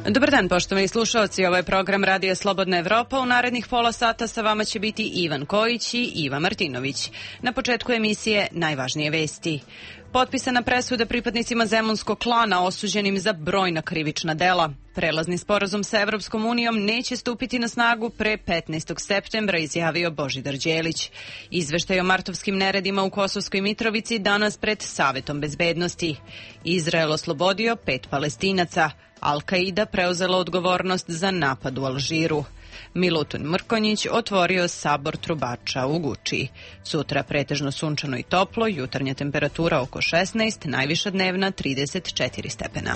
Dobar dan, poštovani slušaoci, ovo je program Radija Slobodna Evropa. U narednih pola sata sa vama će biti Ivan Kojić i Iva Martinović. Na početku emisije najvažnije vesti. Potpisana presuda pripadnicima Zemunskog klana osuđenim za brojna krivična dela. Prelazni sporazum sa Evropskom unijom neće stupiti na snagu pre 15. septembra, izjavio Božidar Đelić. Izveštaj o martovskim neredima u Kosovskoj Mitrovici danas pred Savetom bezbednosti. Izrael oslobodio 5 Palestinaca. Al-Qaida preuzela odgovornost za napad u Alžiru. Milutin Mrkonjić otvorio sabor trubača u Guči. Sutra pretežno sunčano i toplo, jutarnja temperatura oko 16, najviša dnevna 34 stepena.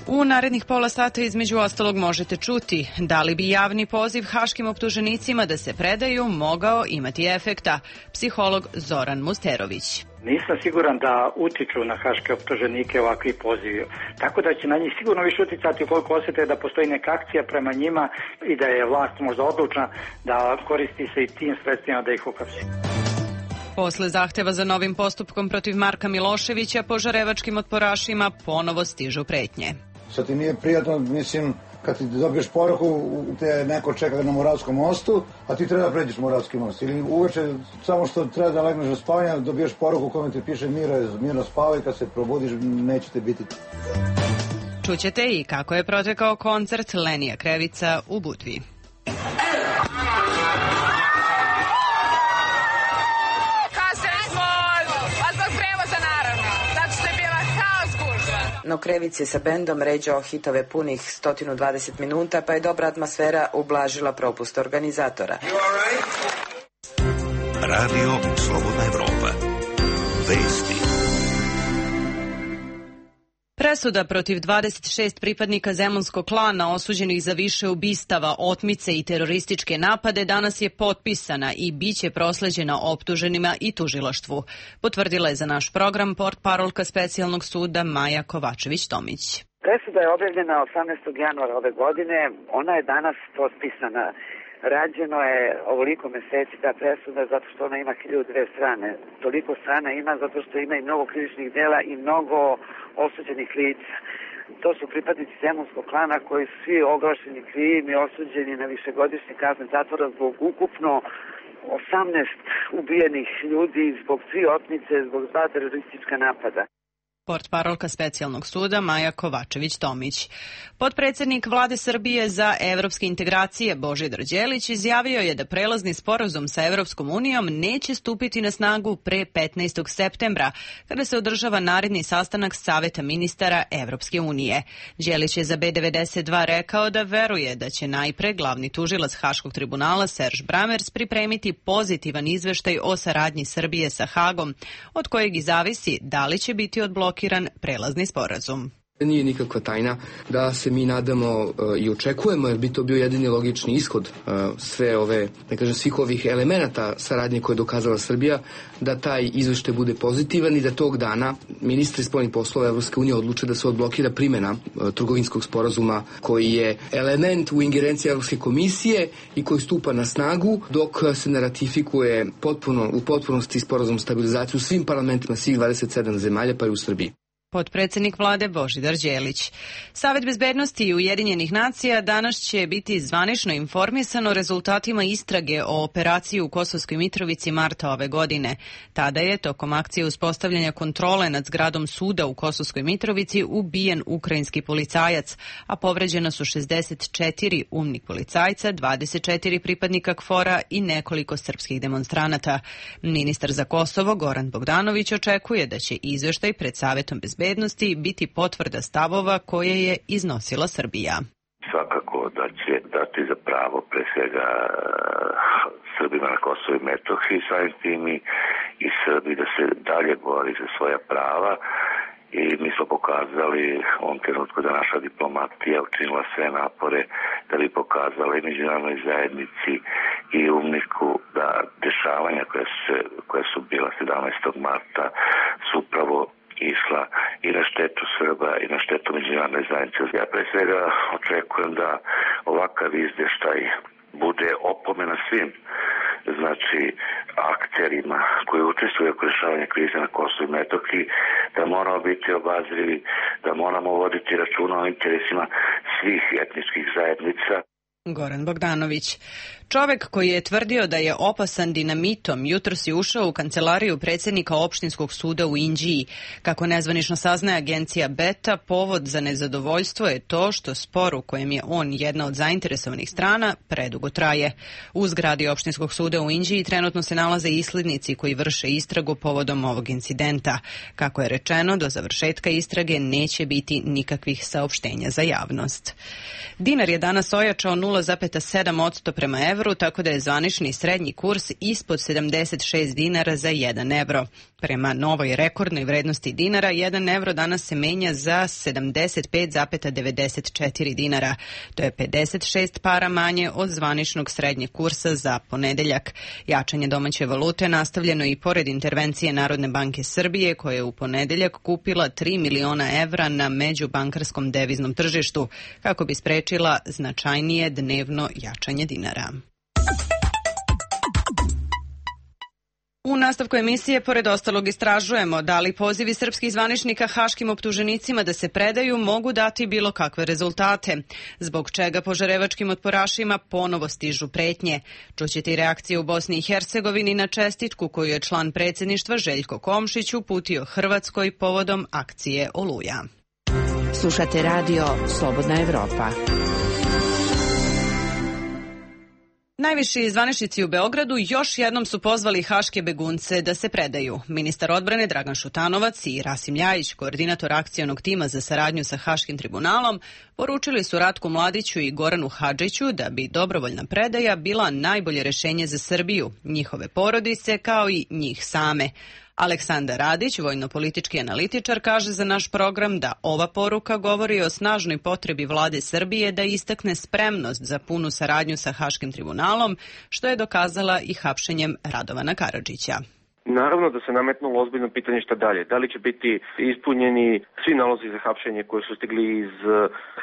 U narednih pola sata između ostalog možete čuti da li bi javni poziv haškim optuženicima da se predaju mogao imati efekta. Psiholog Zoran Musterović. Nisam siguran da utiču na haške optuženike ovakvi pozivi. Tako da će na njih sigurno više uticati ukoliko osjete da postoji neka akcija prema njima i da je vlast možda odlučna da koristi se i tim sredstvima da ih uhapsi. Posle zahteva za novim postupkom protiv Marka Miloševića, požarevačkim otporašima ponovo stižu pretnje. Sad ti nije prijatno, mislim, kad ti dobiješ poruku, te neko čeka na Moravskom mostu, a ti treba da pređeš Moravski most. Ili uveče, samo što treba da legneš na spavanje, dobiješ poruku kome ti piše mirno spavaj, kad se probudiš nećete biti. Čućete i kako je protekao koncert Lenija Krevica u Budvi. No Krevic je sa bendom ređao hitove punih 120 minuta, pa je dobra atmosfera ublažila propust organizatora. Radio Slobodna Evropa. Vesti. Presuda protiv 26 pripadnika Zemunskog klana osuđenih za više ubistava, otmice i terorističke napade danas je potpisana i biće prosleđena optuženima i tužilaštvu. Potvrdila je za naš program portparolka specijalnog suda Maja Kovačević-Tomić. Presuda je objavljena 18. januara ove godine, ona je danas potpisana. Rađeno je ovoliko meseci ta presuda zato što ona ima 1002 strane. Toliko strana ima zato što ima i mnogo krivičnih dela i mnogo osuđenih lica. To su pripadnici Zemunskog klana koji su svi oglašeni krivim i osuđeni na višegodišnje kazne zatvora zbog ukupno 18 ubijenih ljudi, zbog 3 otmice, zbog 2 teroristička napada. Portparolka specijalnog suda Maja Kovačević-Tomić. Potpredsednik Vlade Srbije za evropske integracije Božidar Đelić izjavio je da prelazni sporazum sa Evropskom unijom neće stupiti na snagu pre 15. septembra, kada se održava naredni sastanak Saveta ministara Evropske unije. Đelić je za B92 rekao da veruje da će najpre glavni tužilac Haškog tribunala Serž Bramers pripremiti pozitivan izveštaj o saradnji Srbije sa Hagom, od kojeg i zavisi da li će biti odblokiran prelazni sporazum. Nije nikakva tajna da se mi nadamo i očekujemo, jer bi to bio jedini logični ishod sve ove, ne kažem, svih ovih elemenata saradnje koje je dokazala Srbija, da taj izveštaj bude pozitivan i da tog dana ministri spoljnih poslova Evropske unije odluče da se odblokira primjena trgovinskog sporazuma koji je element u ingerenciji Evropske komisije i koji stupa na snagu dok se ne ratifikuje u potpunosti sporazum stabilizaciju u svim parlamentima svih 27 zemalja, pa i u Srbiji. Potpredsednik vlade Božidar Đelić. Savet bezbednosti Ujedinjenih nacija danas će biti zvanično informisan o rezultatima istrage o operaciji u Kosovskoj Mitrovici marta ove godine. Tada je, tokom akcije uspostavljanja kontrole nad zgradom suda u Kosovskoj Mitrovici, ubijen ukrajinski policajac, a povređena su 64 umnik policajca, 24 pripadnika KFOR-a i nekoliko srpskih demonstranata. Ministar za Kosovo Goran Bogdanović očekuje da će izveštaj pred Savetom bezbednosti biti potvrda stavova koje je iznosila Srbija. Svakako da će dati za pravo pre svega Srbima na Kosovu i Metohiji, samim tim i Srbi da se dalje bori za svoja prava. I mi smo pokazali u ovom trenutku da naša diplomatija učinila sve napore da bi pokazala i međunarodnoj zajednici i umniku da dešavanja koja su bila 17. marta su upravo išla i na štetu Srba i na štetu međunarodne zajednice. Ja pre svega očekujem da ovakav izveštaj bude opomena svim znači akterima koji učestvuju u rešavanju krize na Kosovu i Metohiji, da moramo biti obazrivi, da moramo voditi računa o interesima svih etničkih zajednica. Goran Bogdanović. Čovek koji je tvrdio da je opasan dinamitom jutros je ušao u kancelariju predsjednika opštinskog suda u Inđiji. Kako nezvanično saznaje agencija Beta, povod za nezadovoljstvo je to što spor u kojem je on jedna od zainteresovanih strana predugo traje. U zgradi opštinskog suda u Inđiji trenutno se nalaze islednici koji vrše istragu povodom ovog incidenta. Kako je rečeno, do završetka istrage neće biti nikakvih saopštenja za javnost. Dinar je danas ojačao 0,7% prema evru, tako da je zvanični srednji kurs ispod 76 dinara za 1 evro. Prema novoj rekordnoj vrednosti dinara, 1 evro danas se menja za 75,94 dinara. To je 56 para manje od zvaničnog srednjeg kursa za ponedeljak. Jačanje domaće valute nastavljeno i pored intervencije Narodne banke Srbije, koja je u ponedeljak kupila 3 miliona evra na međubankarskom deviznom tržištu, kako bi sprečila značajnije dnevno jačanje dinara. U nastavku emisije, pored ostalog, istražujemo da li pozivi srpskih zvaničnika haškim optuženicima da se predaju mogu dati bilo kakve rezultate, zbog čega požarevačkim otporašima ponovo stižu pretnje. Čućete i reakcije u Bosni i Hercegovini na čestitku koju je član predsjedništva Željko Komšić uputio Hrvatskoj povodom akcije Oluja. Slušate radio Slobodna Evropa. Najviši zvaničnici u Beogradu još jednom su pozvali haške begunce da se predaju. Ministar odbrane Dragan Šutanovac i Rasim Ljajić, koordinator akcionog tima za saradnju sa Haškim tribunalom, poručili su Ratku Mladiću i Goranu Hadžiću da bi dobrovoljna predaja bila najbolje rešenje za Srbiju, njihove porodice kao i njih same. Aleksandar Radić, vojno-politički analitičar, kaže za naš program da ova poruka govori o snažnoj potrebi vlade Srbije da istakne spremnost za punu saradnju sa Haškim tribunalom, što je dokazala i hapšenjem Radovana Karadžića. Naravno da se nametnulo ozbiljno pitanje šta dalje. Da li će biti ispunjeni svi nalozi za hapšenje koji su stigli iz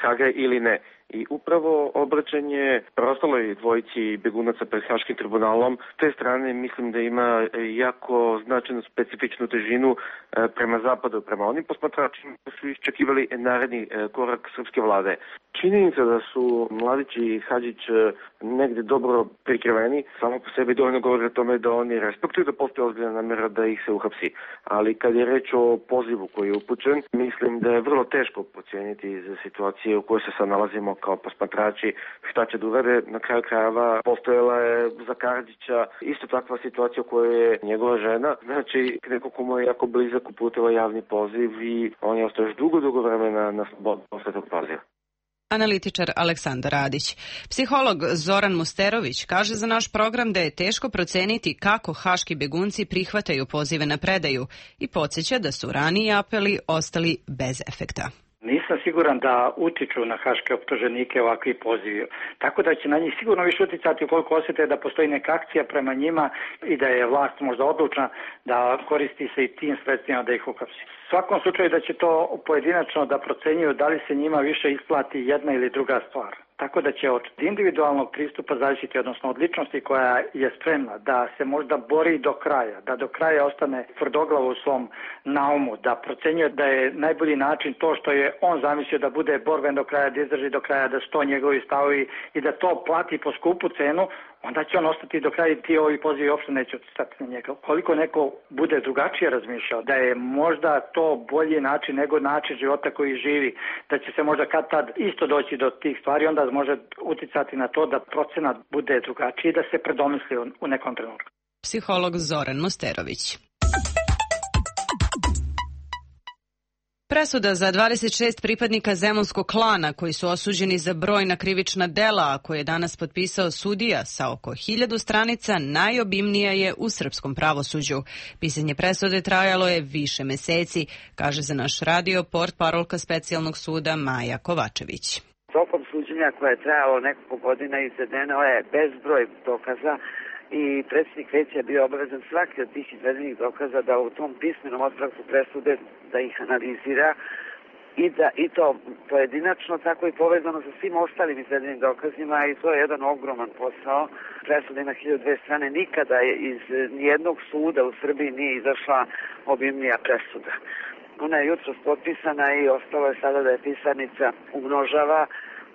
Haga ili ne. I upravo obraćanje preostaloj dvojici begunaca pred Haškim tribunalom, s te strane mislim da ima jako značajnu specifičnu težinu prema zapadu, prema onim posmatračima koji su iščekivali naredni korak srpske vlade. Činjenica da su Mladić i Hadžić negde dobro prikriveni, samo po sebi dovoljno govori o tome da oni respektuju da postoji ozbiljna namera da ih se uhapsi. Ali kad je reč o pozivu koji je upućen, mislim da je vrlo teško procijeniti za situacije u kojoj se sad nalazimo kao posmatrači šta će da uvede. Na kraju krajeva postojala je za Karadžića isto takva situacija u kojoj je njegova žena, znači neko ko mu je jako blizak uputila javni poziv i on je ostao još dugo vremena na slobodu posle tog poziva. Analitičar Aleksandar Radić. Psiholog Zoran Musterović kaže za naš program da je teško proceniti kako haški begunci prihvataju pozive na predaju i podsjeća da su raniji apeli ostali bez efekta. Nisam siguran da utiču na haške optuženike ovakvi pozivi. Tako da će na njih sigurno više uticati ukoliko osjete da postoji neka akcija prema njima i da je vlast možda odlučna da koristi se i tim sredstvima da ih uhapsi. U svakom slučaju da će to pojedinačno da procenjuju da li se njima više isplati jedna ili druga stvar. Tako da će od individualnog pristupa zavisiti, odnosno od ličnosti koja je spremna da se možda bori do kraja, da do kraja ostane tvrdoglavo u svom naumu, da procenjuje da je najbolji način to što je on zamislio da bude borben do kraja, da izdrži do kraja, da su to njegovi stavovi i da to plati po skupu cenu, onda će on ostati do kraja i ti ovi pozivi uopšte neće utjecati na njega. Koliko neko bude drugačije razmišljao, da je možda to bolji način nego način života koji živi, da će se možda kad tad isto doći do tih stvari, onda može utjecati na to da procenat bude drugačiji i da se predomisli u nekom trenutku. Psiholog Zoran Musterović. Presuda za 26 pripadnika zemunskog klana koji su osuđeni za brojna krivična dela, a koje je danas potpisao sudija sa oko 1000 stranica, najobimnija je u srpskom pravosuđu. Pisanje presude trajalo je više meseci, kaže za naš radio portparolka specijalnog suda Maja Kovačević. Tokom suđenja koje je trajalo nekoliko godina izvedeno je bezbroj dokaza i predsjednik veća je bio obavezan svaki od tih izvedenih dokaza da u tom pismenom otpravku presude da ih analizira i to pojedinačno, tako i povezano sa svim ostalim izvedenim dokazima i to je jedan ogroman posao. Presuda ima 1002 strane, nikada iz nijednog suda u Srbiji nije izašla obimnija presuda. Ona je jutros potpisana i ostalo je sada da je pisarnica umnožava,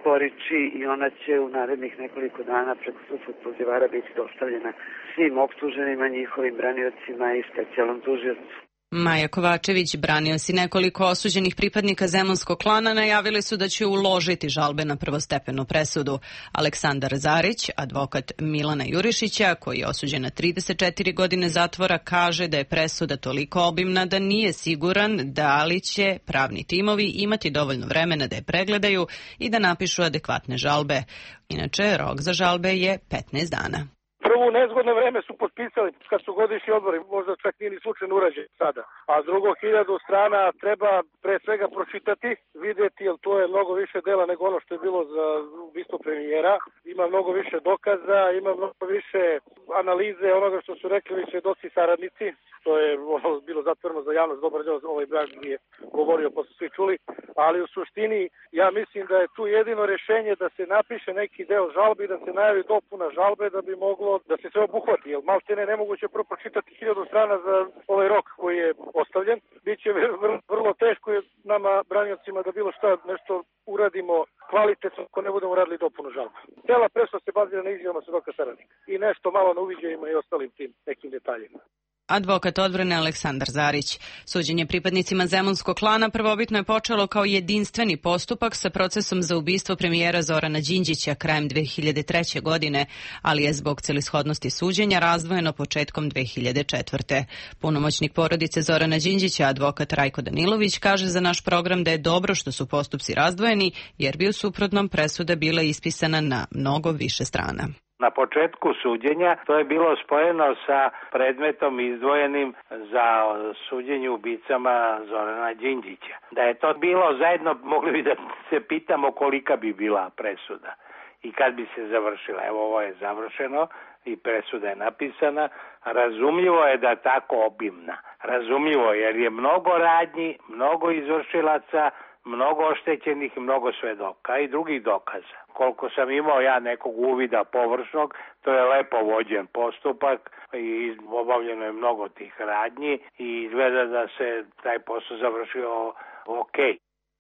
koriči i ona će u narednih nekoliko dana preko sudskog pozivara biti dostavljena svim optuženima, njihovim braniocima i specijalnom tužiocu. Maja Kovačević, branioci nekoliko osuđenih pripadnika Zemunskog klana najavili su da će uložiti žalbe na prvostepenu presudu. Aleksandar Zarić, advokat Milana Jurišića, koji je osuđen na 34 godine zatvora, kaže da je presuda toliko obimna da nije siguran da li će pravni timovi imati dovoljno vremena da je pregledaju i da napišu adekvatne žalbe. Inače, rok za žalbe je 15 dana. Prvo nezgodno vreme su potpisali kad su godišnji odbori, možda čak nije ni slučajno urađen sada. A drugo, 1000 strana treba pre svega pročitati, vidjeti, jer to je mnogo više dela nego ono što je bilo za ubistvo premijera. Ima mnogo više dokaza, ima mnogo više analize onoga što su rekli svedoci saradnici. To je bilo zatvoreno za javnost, dobar deo ovaj brak je govorio, pa su svi čuli. Ali u suštini ja mislim da je tu jedino rešenje da se napiše neki deo žalbi, da se najavi dopuna žalbe da bi moglo da se sve obuhvati, jer maltene nemoguće prvo pročitati 1000 strana za ovaj rok koji je ostavljen. Biće vrlo teško nama, braniocima, da bilo šta nešto uradimo kvalitetno ako ne budemo radili dopunu žalbe. Cela presuda se bazira na izjavama svedoka saradnika i nešto malo na uviđajima i ostalim tim nekim detaljima. Advokat odbrane Aleksandar Zarić. Suđenje pripadnicima Zemunskog klana prvobitno je počelo kao jedinstveni postupak sa procesom za ubistvo premijera Zorana Đinđića krajem 2003. godine, ali je zbog celishodnosti suđenja razdvojeno početkom 2004. Punomoćnik porodice Zorana Đinđića, advokat Rajko Danilović, kaže za naš program da je dobro što su postupci razdvojeni, jer bi u suprotnom presuda bila ispisana na mnogo više strana. Na početku suđenja to je bilo spojeno sa predmetom izdvojenim za suđenje ubicama Zorana Đinđića. Da je to bilo zajedno, mogli bi da se pitamo kolika bi bila presuda i kad bi se završila. Evo, ovo je završeno i presuda je napisana. Razumljivo je da tako obimna. Razumljivo jer je mnogo radnji, mnogo izvršilaca, mnogo oštećenih i mnogo svedoka i drugih dokaza. Koliko sam imao ja nekog uvida površnog, to je lepo vođen postupak i obavljeno je mnogo tih radnji i izgleda da se taj posao završio ok.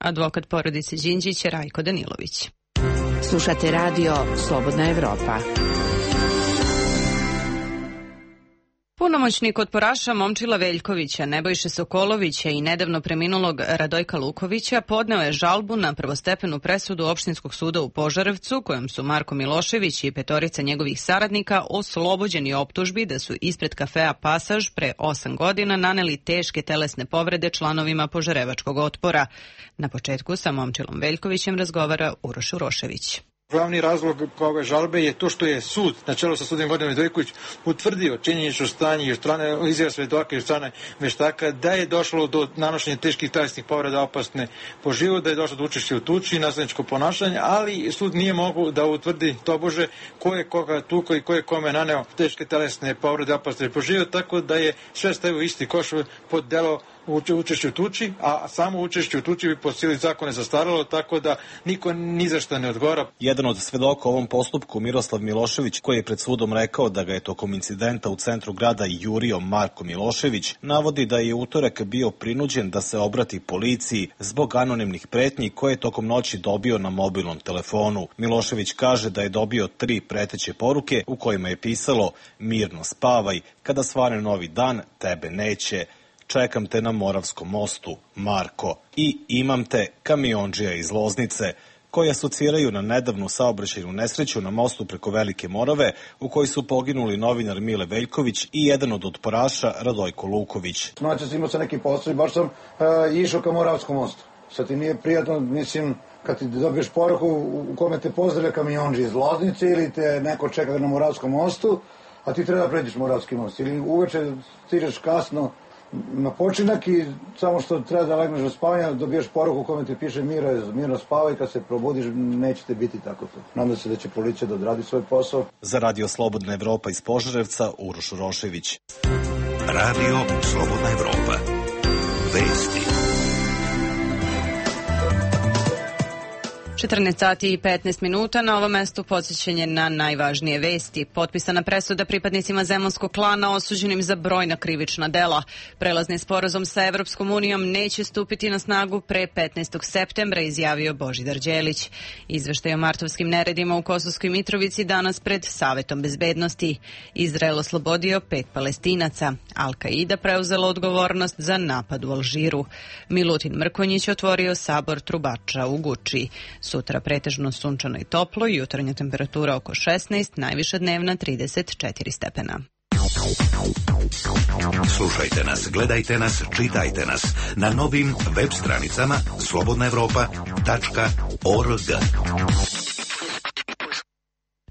Advokat porodice Đinđića Rajko Danilović. Slušate radio Slobodna Evropa. Punomoćnik otporaša Momčila Veljkovića, Nebojše Sokolovića i nedavno preminulog Radojka Lukovića podneo je žalbu na prvostepenu presudu Opštinskog suda u Požarevcu, kojom su Marko Milošević i 5 njegovih saradnika oslobođeni optužbi da su ispred kafea Pasaž pre 8 godina naneli teške telesne povrede članovima Požarevačkog otpora. Na početku sa Momčilom Veljkovićem razgovara Uroš Urošević. Glavni razlog ove žalbe je to što je sud, na čelu sa sudijom Gordanom Vidojković, utvrdio činjenično stanje i strane izjava svedoka i strane veštaka da je došlo do nanošenja teških telesnih povreda opasne po život, da je došlo do učešća u tuči i nasilničko ponašanje, ali sud nije mogao da utvrdi tobože ko je koga tukao i ko je kome naneo teške telesne povrede opasne po život, tako da je sve stavio isti koš pod delo učešće u tuči, a samo učešće u tuči bi po sili zakona zastaralo, tako da niko ni za šta ne odgovara. Jedan od svedoka u ovom postupku, Miroslav Milošević, koji je pred sudom rekao da ga je tokom incidenta u centru grada jurio Marko Milošević, navodi da je utorak bio prinuđen da se obrati policiji zbog anonimnih pretnji koje je tokom noći dobio na mobilnom telefonu. Milošević kaže da je dobio 3 preteće poruke u kojima je pisalo: mirno spavaj, kada svane novi dan, tebe neće. Čekam te na Moravskom mostu, Marko. I imam te, kamiondžija iz Loznice, koji asociraju na nedavnu saobraćajnu nesreću na mostu preko Velike Morave, u kojoj su poginuli novinar Mile Veljković i jedan od otporaša Radojko Luković. Noćas imao sam neki posao i baš sam išao ka Moravskom mostu. Sad ti nije prijatno, mislim, kad ti dobiješ poruku u kome te pozdravlja kamiondžija iz Loznice ili te neko čeka na Moravskom mostu, a ti treba da pređeš Moravski most. Ili uveče stižeš kasno na počinak i samo što treba da legneš do spavanja, dobiješ poruku u kome ti piše mirno spavaj, kad se probudiš nećete biti tako to. Nadam se da će policija da odradi svoj posao. Za Radio Slobodna Evropa iz Požarevca, Uroš Urošević. Radio Slobodna Evropa. Vesti. 14 sati i 15 minuta. Na ovom mestu podsjećanje na najvažnije vesti. Potpisana presuda pripadnicima Zemunskog klana osuđenim za brojna krivična dela. Prelazni sporazum sa Evropskom unijom neće stupiti na snagu pre 15. septembra, izjavio Božidar Đelić. Izveštaj o martovskim neredima u Kosovskoj Mitrovici danas pred Savetom bezbednosti. Izrael oslobodio 5 Palestinaca. Al-Kaida preuzela odgovornost za napad u Alžiru. Milutin Mrkonjić otvorio sabor trubača u Guči. Sutra pretežno sunčano i toplo, jutarnja temperatura oko 16, najviša dnevna 34 stepena. Slušajte nas, gledajte nas, čitajte nas na novim web stranicama slobodnaevropa.org.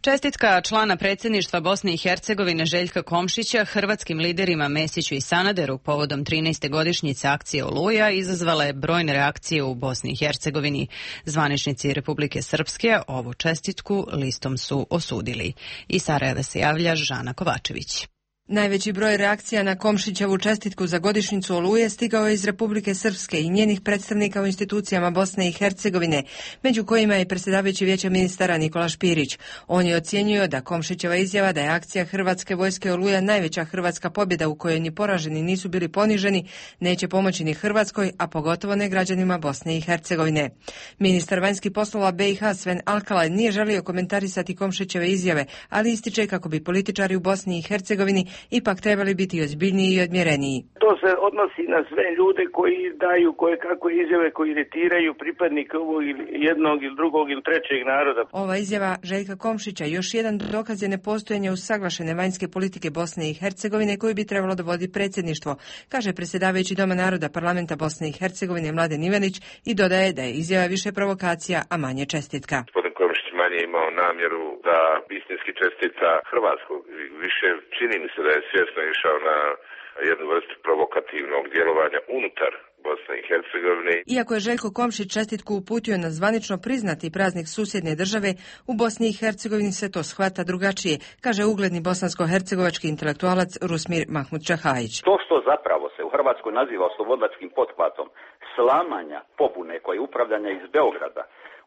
Čestitka člana predsjedništva Bosne i Hercegovine Željka Komšića hrvatskim liderima Mesiću i Sanaderu povodom 13. godišnjice akcije Oluja izazvala je brojne reakcije u Bosni i Hercegovini. Zvaničnici Republike Srpske ovu čestitku listom su osudili. Iz Sarajeva se javlja Žana Kovačević. Najveći broj reakcija na Komšićevu čestitku za godišnjicu Oluje stigao je iz Republike Srpske i njenih predstavnika u institucijama Bosne i Hercegovine, među kojima je predsjedavajući Vijeća ministara Nikola Špirić. On je ocijenio da Komšićeva izjava da je akcija Hrvatske vojske Oluja najveća hrvatska pobjeda u kojoj ni poraženi nisu bili poniženi, neće pomoći ni Hrvatskoj, a pogotovo ne građanima Bosne i Hercegovine. Ministar vanjskih poslova BiH Sven Alkalaj nije želio komentarisati Komšićeve izjave, ali ističe kako bi političari u Bosni i Hercegovini ipak trebali biti ozbiljniji i odmjereniji. To se odnosi na sve ljude koji daju koje kakve izjave koji iritiraju pripadnike ovog ili jednog ili drugog ili trećeg naroda. Ova izjava Željka Komšića još jedan dokaz je nepostojanja usaglašene vanjske politike Bosne i Hercegovine koju bi trebalo da vodi predsjedništvo, kaže predsjedavajući Doma naroda parlamenta Bosne i Hercegovine Mladen Ivanić i dodaje da je izjava više provokacija, a manje čestitka. Manje imao namjeru da istinski čestita Hrvatskog. Više čini mi se da je svjesno išao na jednu vrstu provokativnog djelovanja unutar Bosne i Hercegovine. Iako je Željko Komšić čestitku uputio na zvanično priznati praznik susjedne države, u Bosni i Hercegovini se to shvata drugačije, kaže ugledni bosansko-hercegovački intelektualac Rusmir Mahmud Čahajić. To što zapravo se u Hrvatskoj naziva oslobodilačkim pothvatom slamanja pobune koje je upravljanja iz Beograda,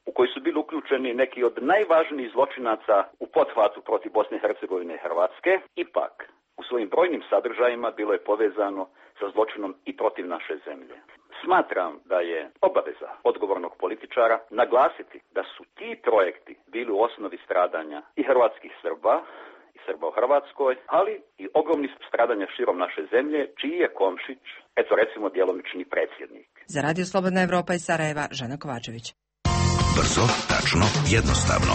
u koji su bili uključeni neki od najvažnijih zločinaca u pothvatu protiv Bosne i Hercegovine i Hrvatske, ipak u svojim brojnim sadržajima bilo je povezano sa zločinom i protiv naše zemlje. Smatram da je obaveza odgovornog političara naglasiti da su ti projekti bili u osnovi stradanja i hrvatskih Srba, i Srba u Hrvatskoj, ali i ogromnih stradanja širom naše zemlje, čiji je Komšić, eto recimo, djelomični predsjednik. Za Radio Slobodna Evropa iz Sarajeva, Žana Kovačević. Brzo, tačno, jednostavno.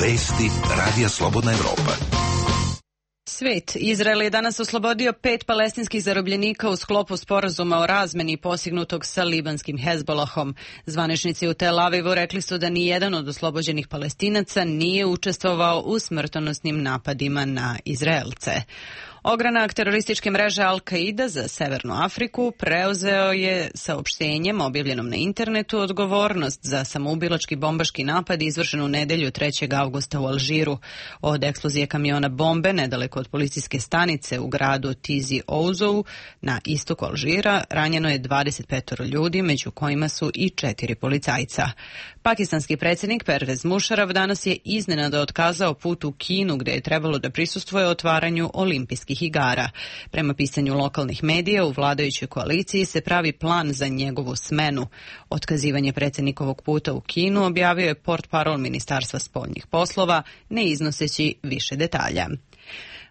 Vesti Radija Slobodna Evropa. Svet. Izrael je danas oslobodio 5 palestinskih zarobljenika u sklopu sporazuma o razmeni postignutog sa libanskim Hezbolahom. Zvaničnici u Tel Avivu rekli su da ni jedan od oslobođenih Palestinaca nije učestvovao u smrtonosnim napadima na Izraelce. Ogranak terorističke mreže Al-Kaida za Severnu Afriku preuzeo je saopštenjem objavljenom na internetu odgovornost za samoubilački bombaški napad izvršen u nedelju 3. avgusta u Alžiru. Od eksplozije kamiona bombe nedaleko od policijske stanice u gradu Tizi Ouzou na istoku Alžira ranjeno je 25 ljudi, među kojima su i 4 policajca. Pakistanski predsjednik Pervez Musharraf danas je iznenada otkazao put u Kinu gdje je trebalo da prisustvuje otvaranju olimpijskih igara. Prema pisanju lokalnih medija, u vladajućoj koaliciji se pravi plan za njegovu smenu. Otkazivanje predsjednikovog puta u Kinu objavio je portparol Ministarstva spoljnih poslova, ne iznoseći više detalja.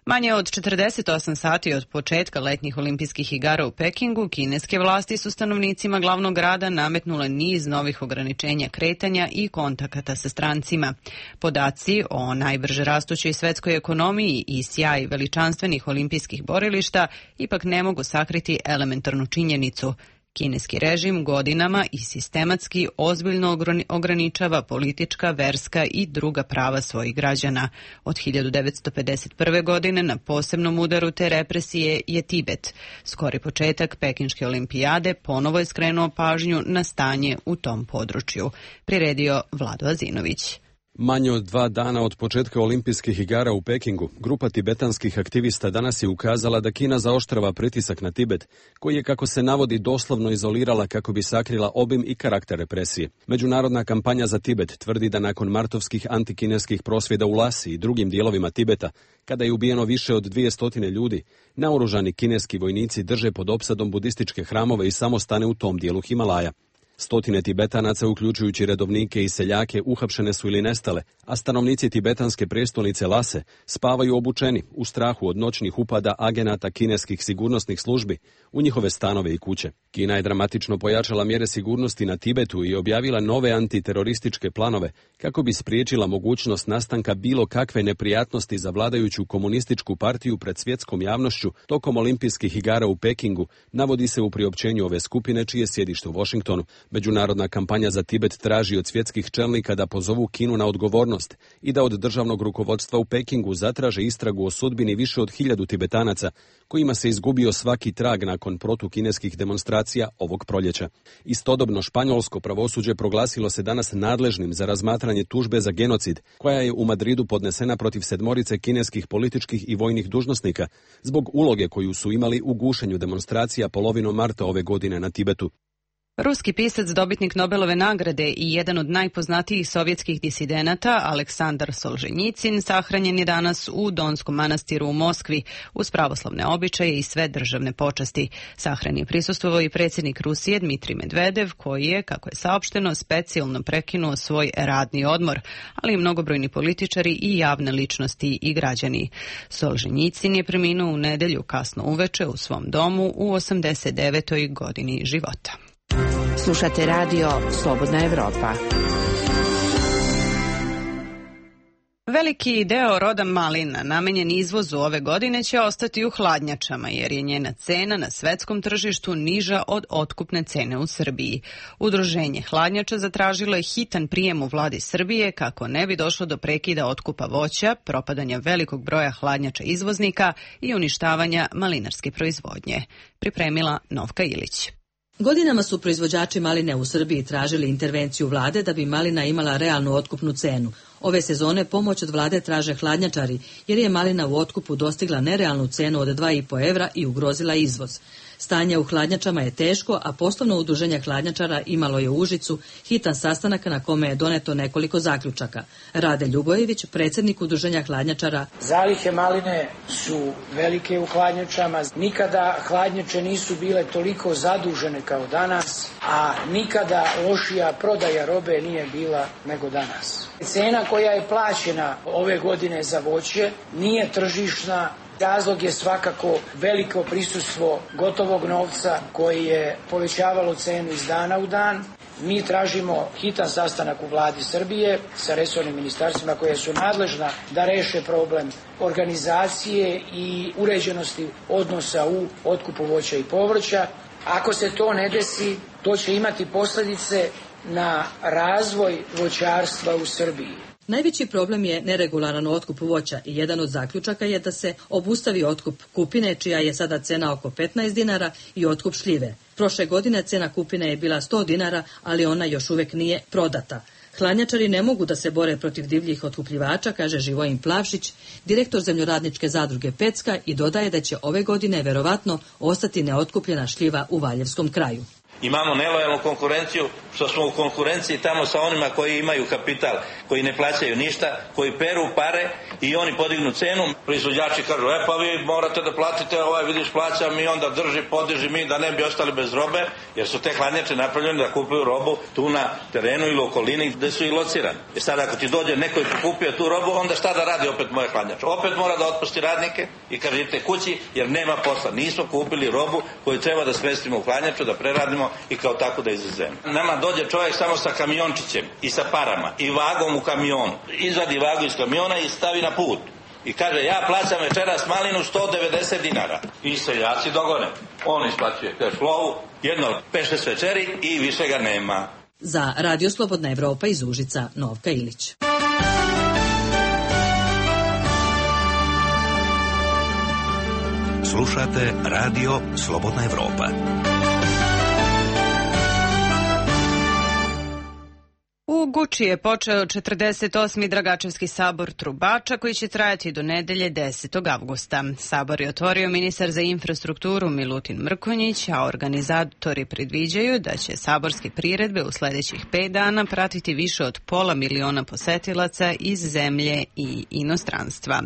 Manje od 48 sati od početka letnjih olimpijskih igara u Pekingu, kineske vlasti su stanovnicima glavnog grada nametnule niz novih ograničenja kretanja i kontakata sa strancima. Podaci o najbrže rastućoj svetskoj ekonomiji i sjaj veličanstvenih olimpijskih borilišta ipak ne mogu sakriti elementarnu činjenicu. Kineski režim godinama i sistematski ozbiljno ograničava politička, verska i druga prava svojih građana. Od 1951. godine na posebnom udaru te represije je Tibet. Skori početak Pekinške olimpijade ponovo je skrenuo pažnju na stanje u tom području. Priredio Vlado Azinović. Manje od 2 dana od početka olimpijskih igara u Pekingu, grupa tibetanskih aktivista danas je ukazala da Kina zaoštrava pritisak na Tibet, koji je, kako se navodi, doslovno izolirala kako bi sakrila obim i karakter represije. Međunarodna kampanja za Tibet tvrdi da nakon martovskih antikineskih prosvjeda u Lasi i drugim dijelovima Tibeta, kada je ubijeno više od 200 ljudi, naoružani kineski vojnici drže pod opsadom budističke hramove i samostane u tom dijelu Himalaja. Stotine Tibetanaca, uključujući redovnike i seljake, uhapšene su ili nestale, a stanovnici tibetanske prestolnice Lase spavaju obučeni u strahu od noćnih upada agenata kineskih sigurnosnih službi u njihove stanove i kuće. Kina je dramatično pojačala mjere sigurnosti na Tibetu i objavila nove antiterorističke planove kako bi spriječila mogućnost nastanka bilo kakve neprijatnosti za vladajuću komunističku partiju pred svjetskom javnošću tokom olimpijskih igara u Pekingu, navodi se u priopćenju ove skupine čije sjedište u Washingtonu. Međunarodna kampanja za Tibet traži od svjetskih čelnika da pozovu Kinu na odgovornost i da od državnog rukovodstva u Pekingu zatraže istragu o sudbini više od 1000 Tibetanaca, kojima se izgubio svaki trag nakon protukineskih demonstracija ovog proljeća. Istodobno španjolsko pravosuđe proglasilo se danas nadležnim za razmatranje tužbe za genocid, koja je u Madridu podnesena protiv 7 kineskih političkih i vojnih dužnosnika zbog uloge koju su imali u gušenju demonstracija polovinom marta ove godine na Tibetu. Ruski pisac, dobitnik Nobelove nagrade i jedan od najpoznatijih sovjetskih disidenata, Aleksandar Solženjicin, sahranjen je danas u Donskom manastiru u Moskvi uz pravoslavne običaje i sve državne počasti. Sahrani je prisustvovao i predsjednik Rusije Dmitrij Medvedev, koji je, kako je saopšteno, specijalno prekinuo svoj radni odmor, ali i mnogobrojni političari i javne ličnosti i građani. Solženjicin je preminuo u nedjelju kasno uveče u svom domu u 89. godini života. Slušate radio Slobodna Evropa. Veliki deo roda malina namenjen izvozu ove godine će ostati u hladnjačama, jer je njena cena na svetskom tržištu niža od otkupne cene u Srbiji. Udruženje hladnjača zatražilo je hitan prijem u vladi Srbije kako ne bi došlo do prekida otkupa voća, propadanja velikog broja hladnjača izvoznika i uništavanja malinarske proizvodnje. Pripremila Novka Ilić. Godinama su proizvođači maline u Srbiji tražili intervenciju vlade da bi malina imala realnu otkupnu cenu. Ove sezone pomoć od vlade traže hladnjačari, jer je malina u otkupu dostigla nerealnu cenu od 2,5 evra i ugrozila izvoz. Stanje u hladnjačama je teško, a poslovno udruženje hladnjačara imalo je u Užicu hitan sastanak na kome je doneto nekoliko zaključaka. Rade Ljubojević, predsjednik udruženja hladnjačara. Zalihe maline su velike u hladnjačama. Nikada hladnjače nisu bile toliko zadužene kao danas, a nikada lošija prodaja robe nije bila nego danas. Cena koja je plaćena ove godine za voće nije tržišna. Razlog je svakako veliko prisustvo gotovog novca koji je povećavalo cenu iz dana u dan. Mi tražimo hitan sastanak u vladi Srbije sa resornim ministarstvima koje su nadležna da reše problem organizacije i uređenosti odnosa u otkupu voća i povrća. Ako se to ne desi, to će imati posljedice na razvoj voćarstva u Srbiji. Najveći problem je neregularan otkup voća i jedan od zaključaka je da se obustavi otkup kupine, čija je sada cena oko 15 dinara, i otkup šljive. Prošle godine cena kupine je bila 100 dinara, ali ona još uvijek nije prodata. Hladnjačari ne mogu da se bore protiv divljih otkupljivača, kaže Živojin Plavšić, direktor zemljoradničke zadruge Pecka, i dodaje da će ove godine verovatno ostati neotkupljena šljiva u Valjevskom kraju. Imamo nelojalnu konkurenciju, što smo u konkurenciji tamo sa onima koji imaju kapital, koji ne plaćaju ništa, koji peru pare i oni podignu cenu. Proizvođači kažu, pa vi morate da platite, vidiš plaćam, i onda podiži mi da ne bi ostali bez robe, jer su te hladnjače napravljene da kupuju robu tu na terenu ili okolini gde su i locirani. I sad ako ti dođe neko i pokupio tu robu, onda šta da radi opet moje hladnjače? Opet mora da otpusti radnike i kaže idite kući jer nema posla. Nismo kupili robu koju treba da smestimo u hladnjaču, da preradimo i kao tako da izvezemo. Nama dođe čovjek samo sa kamiončićem i sa parama i vagom u kamionu. Izvadi vagu iz kamiona i stavi na put. I kaže, ja plaćam večeras malinu 190 dinara. I seljaci dogone. On isplaćuje cash flow, jedno 5-6 večeri i više ga nema. Za Radio Slobodna Evropa iz Užica, Novka Ilić. Slušate Radio Slobodna Evropa. U Guči je počeo 48. Dragačevski sabor Trubača koji će trajati do nedelje 10. avgusta. Sabor je otvorio ministar za infrastrukturu Milutin Mrkonjić, a organizatori predviđaju da će saborske priredbe u sledećih 5 dana pratiti više od 500.000 posetilaca iz zemlje i inostranstva.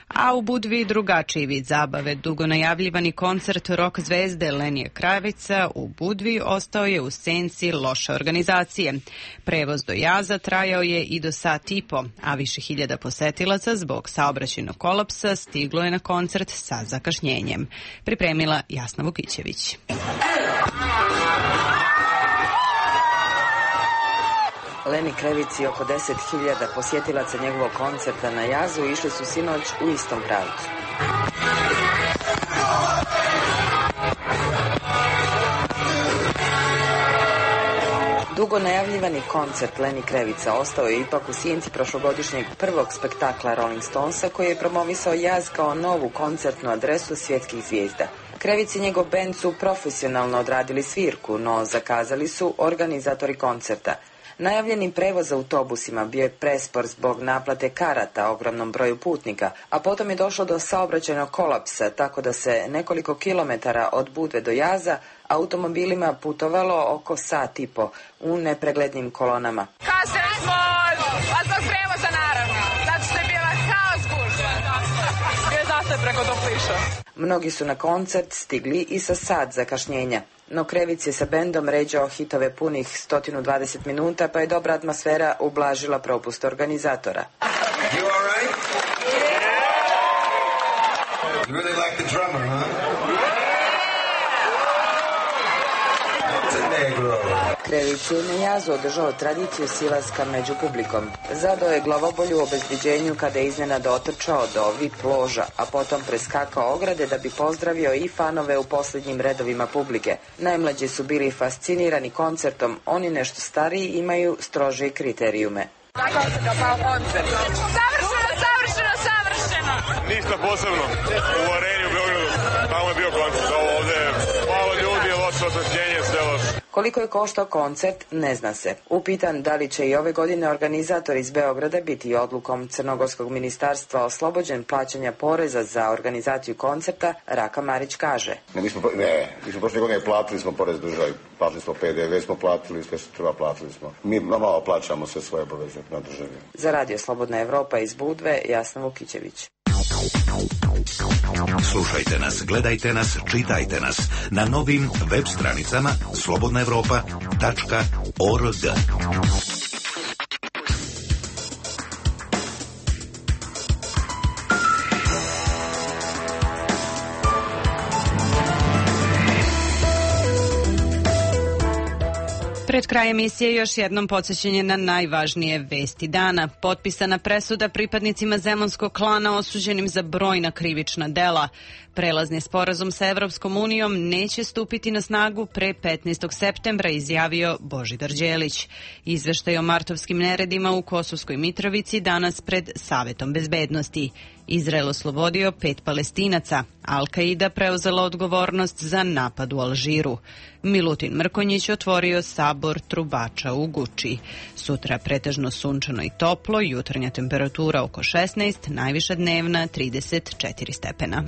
A u Budvi drugačiji vid zabave. Dugo najavljivani koncert rock zvezde Lenije Kravica u Budvi ostao je u senci loše organizacije. Prevoz do jaza trajao je i do sat i po, a više hiljada posetilaca zbog saobraćajnog kolapsa stiglo je na koncert sa zakašnjenjem. Pripremila Jasna Vukićević. Leni Krevici oko 10.000 posjetilaca njegovog koncerta na jazu išli su sinoć u istom pravcu. Dugo najavljivani koncert Leni Krevica ostao je ipak u sjenci prošlogodišnjeg prvog spektakla Rolling Stonesa koji je promovisao jaz kao novu koncertnu adresu svjetskih zvijezda. Krevic i njegov bend su profesionalno odradili svirku, no zakazali su organizatori koncerta. Najavljeni prevoz autobusima bio je prespor zbog naplate karata ogromnom broju putnika, a potom je došlo do saobraćajnog kolapsa, tako da se nekoliko kilometara od Budve do jaza automobilima putovalo oko sat i po u nepreglednim kolonama. Kasnili smo, a zbog prevoza naravno, zato što je bila haos gužva. Bio je zastoj preko Topliša. Mnogi su na koncert stigli i sa sat zakašnjenja. No Krevic je sa bendom ređao hitove punih 120 minuta, pa je dobra atmosfera ublažila propust organizatora. You all right? You really like the drummer, huh? It's a negro. Krevic je na jazu održao tradiciju silaska među publikom. Zadao je glavobolju u obezbeđenju kada je iznenada otrčao do VIP loža, a potom preskakao ograde da bi pozdravio i fanove u posljednjim redovima publike. Najmlađi su bili fascinirani koncertom, oni nešto stariji imaju strože kriterijume. Kako se kapao koncert? Savršeno! Ništa posebno. U areni u Beogradu, tamo je bio koncert, ovde malo ljudi, loše osvetljenje, sve loše. Koliko je koštao koncert, ne zna se. Upitan da li će i ove godine organizator iz Beograda biti odlukom Crnogorskog ministarstva oslobođen plaćanja poreza za organizaciju koncerta, Raka Marić kaže. Mi smo prošle godine platili smo porez državi, platili smo PDV, smo platili, sve što treba platili smo. Mi malo plaćamo sve svoje obaveze na državi. Za Radio Slobodna Evropa iz Budve, Jasna Vukićević. Slušajte nas, gledajte nas, čitajte nas na novim web stranicama slobodnaevropa.org. Pred kraj emisije još jednom podsjećanje na najvažnije vesti dana. Potpisana presuda pripadnicima Zemunskog klana osuđenim za brojna krivična dela. Prelazni sporazum sa Evropskom unijom neće stupiti na snagu pre 15. septembra, izjavio Božidar Đelić. Izveštaj o martovskim neredima u Kosovskoj Mitrovici danas pred Savetom bezbednosti. Izrael oslobodio 5 Palestinaca. Al-Qaida preuzela odgovornost za napad u Alžiru. Milutin Mrkonjić otvorio sabor Trubača u Guči. Sutra pretežno sunčano i toplo, jutarnja temperatura oko 16, najviša dnevna 34 stepena.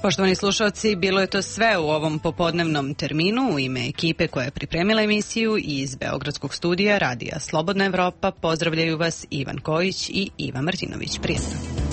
Poštovani slušalci, bilo je to sve u ovom popodnevnom terminu. U ime ekipe koja je pripremila emisiju iz Beogradskog studija Radija Slobodna Evropa pozdravljaju vas Ivan Kojić i Iva Martinović. Prijatno.